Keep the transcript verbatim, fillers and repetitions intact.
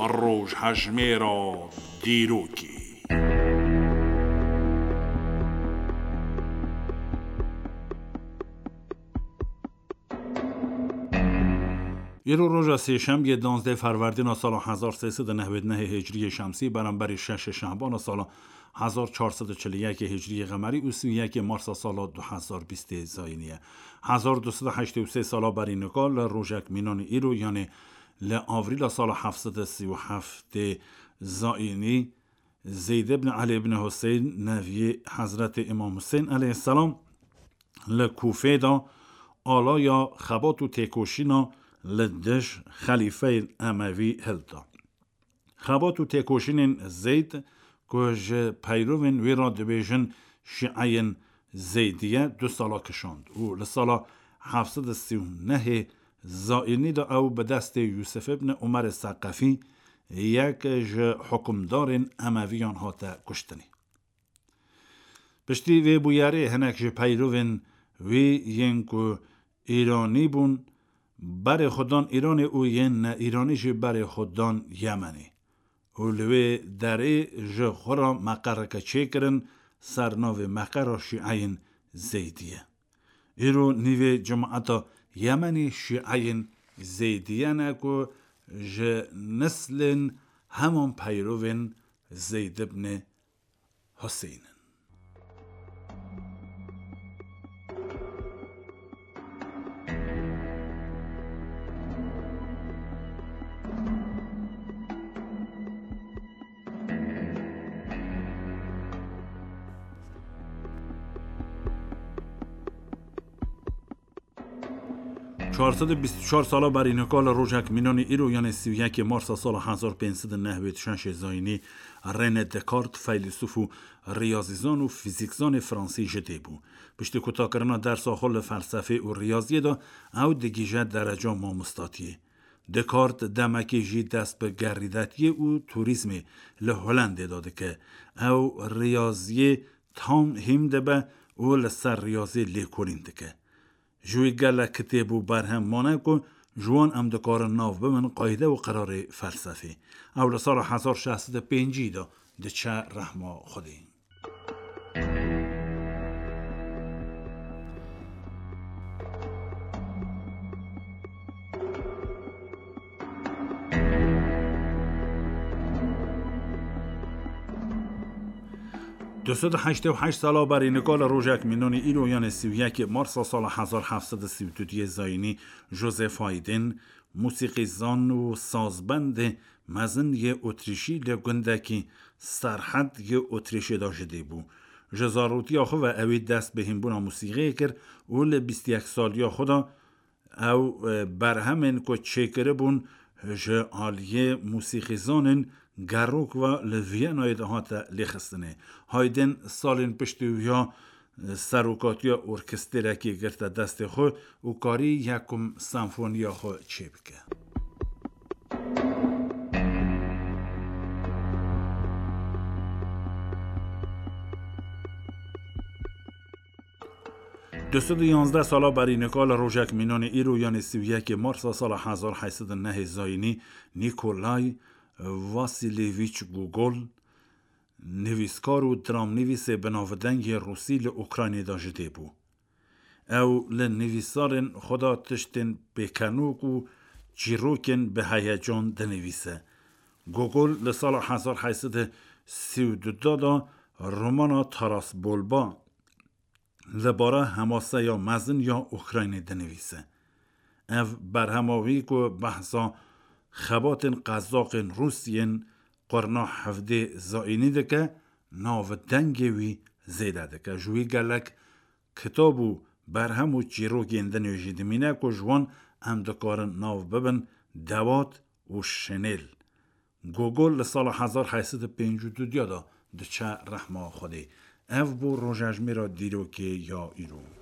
Rojhejmêra dîrokê. Îro roja sêşemiyê, danzdeh ferwerdîna sala hezar sê sed û newed û neh hicriyê şemsî, beramberî şeş şehbana sala hezar çar sed û çil û yek hicriyê qemerî û sî û yek marsa sala du hezar bîst zayînî ye. Hezar du sed û heştê û sê sala berî nika li rojek mînanî îro, yanê li avrîla sala heft sed û sî û heft zayînî, Zeyd ibn Elî ibn Huseyn, neviyê Hezretê Îmam Huseyn aleyhisselam, li Kûfê de alaya xebat û têkoşîna li dij xelîfeyên Emevî hilda. Xebat û têkoşînên Zeyd, ku ji peyrovên wî re dibêjin Şîeyên Zeydiye, du sala kişand û li sala heft sed û sî û nehê zayînî de ew bi destê Yûsif ibn Umerê Seqefî, yek ji hukimdarên Emeviyan, hate kuştinê. Piştî vê bûyerê hinek ji peyrovên wî yên ku Îranî bûn, berê xwe dan Îranê û yên ne Îranî jî berê xwe dan Yemenê û li wê derê ji xwe re meqereke çêkirin ser navê meqera Şîeyên Zeydiye. Îro nîvê cemaeta Yemenê Şîeyên Zeydiye ne ku ji neslên heman peyrovên Zeyd ibn Huseyn in. Çar sed û bîst û çar sala berî nika li rojek mînanî îro, yanê sî û yekê marsa sala hezar pênc sed û newed û şeş zayînî, René Descartes, feylesûf û riyazîzan û fîzîkzanê fransî ji dê bû. Piştî kutakirina dersa xwe li felsefê û riyaziyê de, ew digihîje dereca mamostatiyê. Descartes demekê jî dest bi gerîdetiyê û turîzmê li Holendê de dike. Ew riyaziyê tam hîm dibe û li ser riyaziyê lêkolîn dike. Ji wî gelek kitêb û berhem mane ku ji wan em dikarin nav bibin qayde û qirarê felsefê. Ew li sala hezar şeş sed û pêncî de diçe rehma Xwedê. Du sed û heştê û heşt sala berî nika li rojek mînanî îro, yanê sî û yekê marsa sala hezar heft sed û sî û duyê zayînî, Joseph Haydn, mûsîqîzan û sazbendê mezin yê Otrîşî li gundekî Serhed yê Otrîşê de ji dê bû. Ji zarotiya xwe ve ewî dest bi hînbûna mûsîqiyê kir û li bîst û yek saliya xwe de ew, e, berhemên ku çêkiribûn ji aliyê mûsîqîzanên gerok ve li Viyanayê de hate lêxistinê. Haydn salên piştî wiya, e, serokatiya orkestrekê girte destê xwe û karî yekum senfoniya xwe çêbike. Du sed û yanzdeh sala berî nika li rojek mînanê îro, yanê sî û yekê marsa sala hezar heyt sed û nehê zayînî, Nikolay Vasilyevîç Gogol, nivîskar û dramnivîsê binavdeng yê Rûsî li Ukraynê de ji dê bû. Ew li nivîsarên xwe de tiştên pêkenok û çîrokên bi heyecan dinivîse. Gogol li sala hezar heyt sed û sî û du de romana Taras Bolba li bara hemaseya mezin ya Ukraynê dinivîse. Ev berhema wî ku behsa xebatên qezaqên Rûs yên qurna hevdê zayînî dike, navdengê wî zêde dike. Ji wî gelek kitab û berhem û çîrokên din jî dimîne ku ji wan em dikarin nav bibin dewat û şinêl. Gogol li sala hezar heyt sed û pêncî û du de diçe rehma Xwedê. Ev bû rojejmêra dîrokê ya îro.